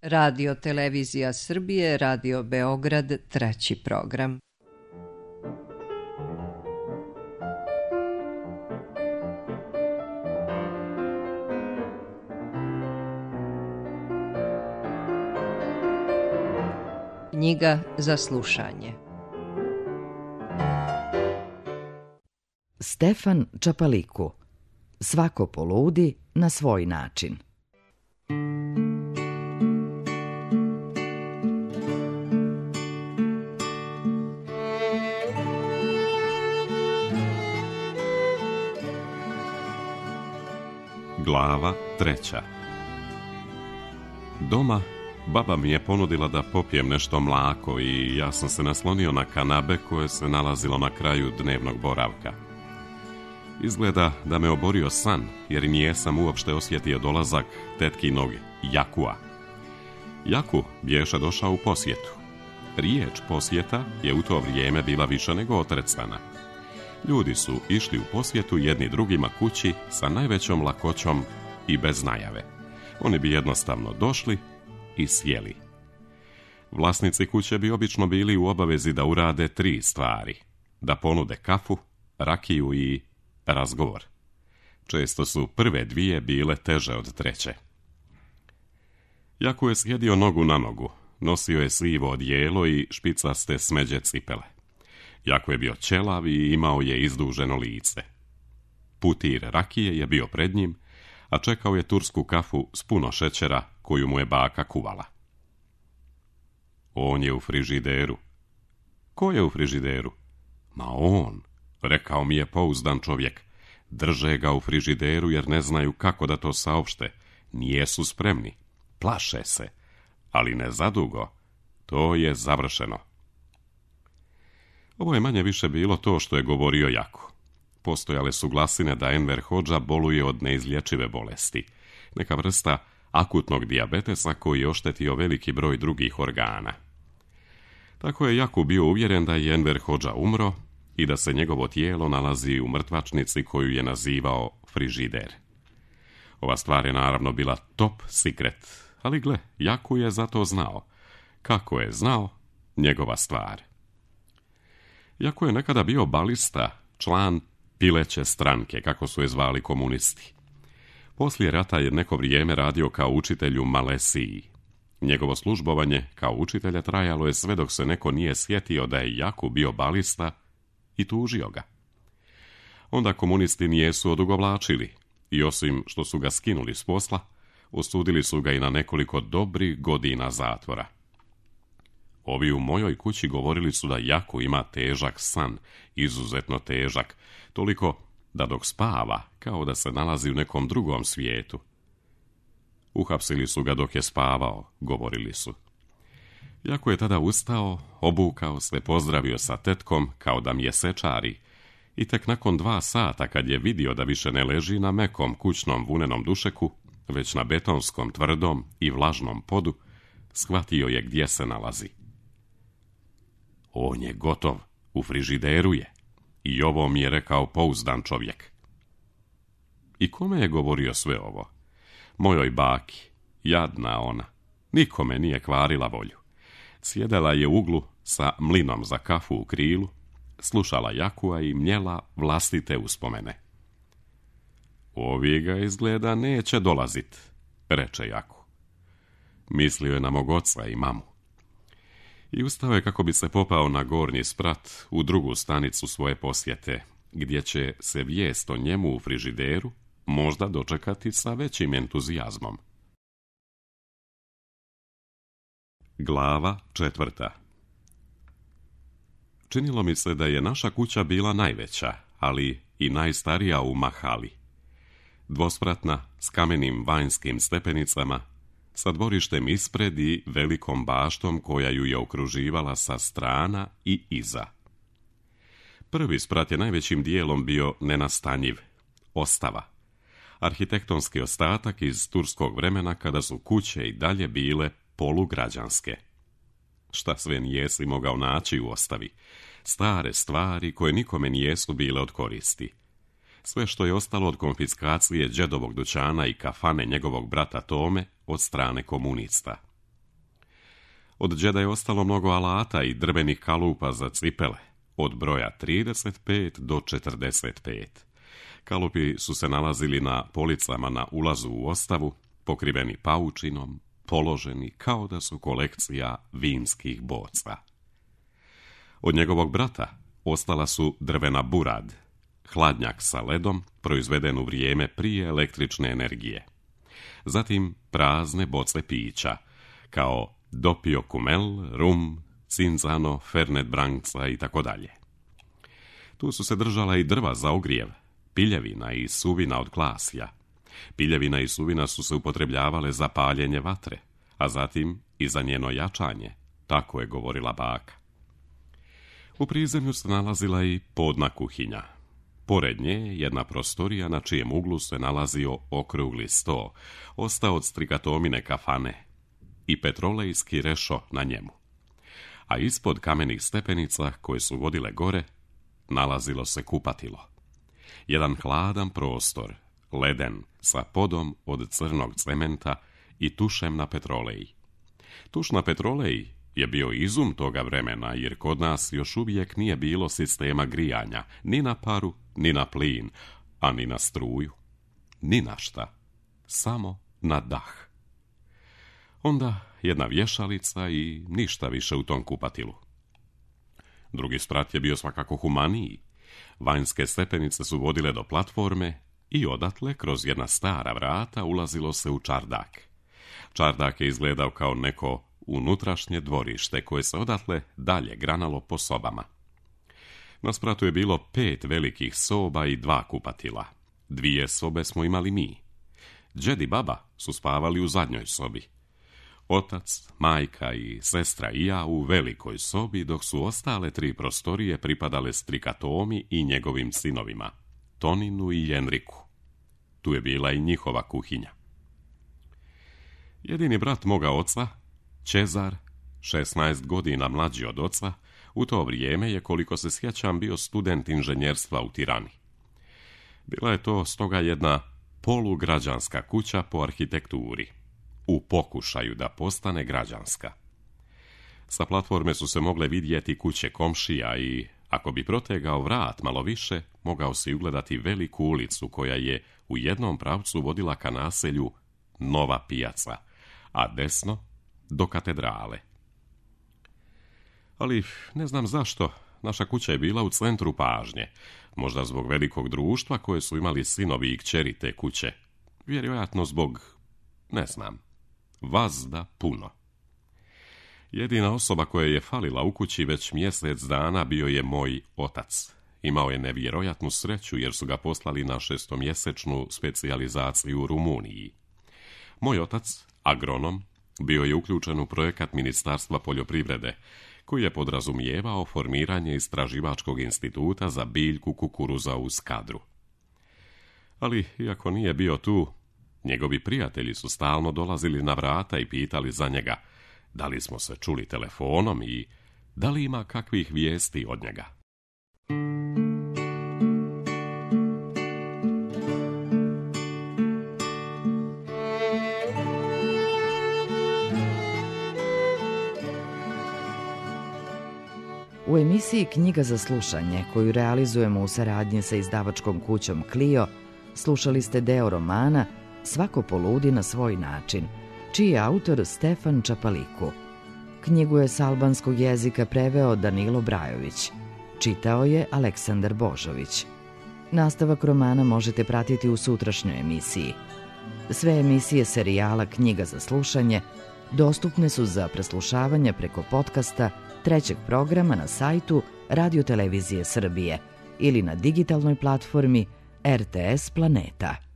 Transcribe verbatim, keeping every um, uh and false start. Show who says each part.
Speaker 1: Radio Televizija Srbije, Radio Beograd, treći program. Knjiga za slušanje.
Speaker 2: Stefan Čapaliku. Svako poludi na svoj način.
Speaker 3: Glava treća. Doma baba mi je ponudila da popijem nešto mlako i ja sam se naslonio na kanabe koje se nalazilo na kraju dnevnog boravka. Izgleda da me oborio san, jer nijesam uopšte osjetio dolazak tetkinog Jakua. Jaku bješe došao u posjetu. Riječ posjeta je u to vrijeme bila više nego otrecana. Ljudi su išli u posjetu jedni drugima kući sa najvećom lakoćom i bez najave. Oni bi jednostavno došli i sjeli. Vlasnici kuće bi obično bili u obavezi da urade tri stvari: da ponude kafu, rakiju i razgovor. Često su prve dvije bile teže od treće. Jako je sjedio nogu na nogu, nosio je sivo odijelo i špicaste smeđe cipele. Jako je bio ćelav i imao je izduženo lice. Putir rakije je bio pred njim, a čekao je tursku kafu s puno šećera koju mu je baka kuvala. On je u frižideru. Ko je u frižideru? Ma on, rekao mi je pouzdan čovjek. Drže ga u frižideru jer ne znaju kako da to saopšte. Nijesu spremni. Plaše se. Ali ne zadugo. To je završeno. Ovo je manje više bilo to što je govorio Jako. Postojale su glasine da Enver Hodža boluje od neizlječive bolesti. Neka vrsta akutnog dijabetesa koji je oštetio veliki broj drugih organa. Tako je Jako bio uvjeren da je Enver Hodža umro i da se njegovo tijelo nalazi u mrtvačnici koju je nazivao frižider. Ova stvar je naravno bila top secret, ali gle, Jako je za to znao. Kako je znao, njegova stvar. Jako je nekada bio balista, član pileće stranke, kako su je zvali komunisti. Poslije rata je neko vrijeme radio kao učitelj u Malesiji. Njegovo službovanje kao učitelja trajalo je sve dok se neko nije sjetio da je Jako bio balista i tužio ga. Onda komunisti nijesu odugovlačili i osim što su ga skinuli s posla, osudili su ga i na nekoliko dobrih godina zatvora. Ovi u mojoj kući govorili su da Jako ima težak san, izuzetno težak, toliko da dok spava, kao da se nalazi u nekom drugom svijetu. Uhapsili su ga dok je spavao, govorili su. Jako je tada ustao, obukao se, pozdravio sa tetkom kao da mjesečari i tek nakon dva sata kad je vidio da više ne leži na mekom kućnom vunenom dušeku, već na betonskom tvrdom i vlažnom podu, shvatio je gdje se nalazi. On je gotov, u frižideru je. I ovo mi je rekao pouzdan čovjek. I kome je govorio sve ovo? Mojoj baki, jadna ona, nikome nije kvarila volju. Sjedela je u uglu sa mlinom za kafu u krilu, slušala Jakua i mljela vlastite uspomene. Ovi ga izgleda neće dolazit, reče Jaku. Mislio je na mog oca i mamu. I ustao je kako bi se popao na gornji sprat u drugu stanicu svoje posjete, gdje će se vijest o njemu u frižideru možda dočekati sa većim entuzijazmom. Glava četvrta. Činilo mi se da je naša kuća bila najveća, ali i najstarija u mahali. Dvospratna, s kamenim vanjskim stepenicama, sa dvorištem ispred i velikom baštom koja ju je okruživala sa strana i iza. Prvi sprat je najvećim dijelom bio nenastanjiv, ostava. Arhitektonski ostatak iz turskog vremena kada su kuće i dalje bile polugrađanske. Šta sve nijesi mogao naći u ostavi? Stare stvari koje nikome nijesu bile od koristi. Sve što je ostalo od konfiskacije đedovog dućana i kafane njegovog brata Tome od strane komunista. Od đeda je ostalo mnogo alata i drvenih kalupa za cipele, od broja trideset pet do četrdeset pet. Kalupi su se nalazili na policama na ulazu u ostavu, pokriveni paučinom, položeni kao da su kolekcija vinskih boca. Od njegovog brata ostala su drvena burad, hladnjak sa ledom proizveden u vrijeme prije električne energije. Zatim prazne boce pića, kao Doppio Kumel, rum, Cinzano, Fernet Branca i tako dalje. Tu su se držala i drva za ogrijev, piljevina i suvina od klasja. Piljevina i suvina su se upotrebljavale za paljenje vatre, a zatim i za njeno jačanje, tako je govorila baka. U prizemlju se nalazila i podna kuhinja. Pored nje jedna prostorija na čijem uglu se nalazio okrugli sto, ostao od strikatomine kafane, i petrolejski rešo na njemu. A ispod kamenih stepenica koje su vodile gore, nalazilo se kupatilo. Jedan hladan prostor, leden, sa podom od crnog cementa i tušem na petroleji. Tuš na petroleji je bio izum toga vremena, jer kod nas još uvijek nije bilo sistema grijanja, ni na paru, ni na plin, a ni na struju. Ni na šta, samo na dah. Onda jedna vješalica i ništa više u tom kupatilu. Drugi sprat je bio svakako humaniji. Vanjske stepenice su vodile do platforme i odatle, kroz jedna stara vrata, ulazilo se u čardak. Čardak je izgledao kao neko unutrašnje dvorište koje se odatle dalje granalo po sobama. Na spratu je bilo pet velikih soba i dva kupatila. Dvije sobe smo imali mi. Đed i baba su spavali u zadnjoj sobi. Otac, majka i sestra i ja u velikoj sobi, dok su ostale tri prostorije pripadale strikatomi i njegovim sinovima, Toninu i Jenriku. Tu je bila i njihova kuhinja. Jedini brat moga oca, Čezar, šesnaest godina mlađi od oca, u to vrijeme je, koliko se sjećam, bio student inženjerstva u Tirani. Bila je to stoga jedna polugrađanska kuća po arhitekturi, u pokušaju da postane građanska. Sa platforme su se mogle vidjeti kuće komšija i, ako bi protegao vrat malo više, mogao si ugledati veliku ulicu koja je u jednom pravcu vodila ka naselju Nova pijaca, a desno do katedrale. Ali ne znam zašto, naša kuća je bila u centru pažnje, možda zbog velikog društva koje su imali sinovi i kćeri te kuće, vjerojatno zbog, ne znam, vazda puno. Jedina osoba koja je falila u kući već mjesec dana bio je moj otac. Imao je nevjerojatnu sreću jer su ga poslali na šestomjesečnu specijalizaciju u Rumuniji. Moj otac, agronom, bio je uključen u projekat Ministarstva poljoprivrede, koji je podrazumijevao formiranje istraživačkog instituta za biljku kukuruza u Skadru. Ali, iako nije bio tu, njegovi prijatelji su stalno dolazili na vrata i pitali za njega da li smo se čuli telefonom i da li ima kakvih vijesti od njega.
Speaker 2: U emisiji Knjiga za slušanje, koju realizujemo u saradnji sa izdavačkom kućom Clio, slušali ste deo romana Svako poludi na svoj način, čiji je autor Stefan Čapaliku. Knjigu je s albanskog jezika preveo Danilo Brajović. Čitao je Aleksandar Božović. Nastavak romana možete pratiti u sutrašnjoj emisiji. Sve emisije serijala Knjiga za slušanje dostupne su za preslušavanje preko podcasta trećeg programa na sajtu Radio Televizije Srbije ili na digitalnoj platformi R T S Planeta.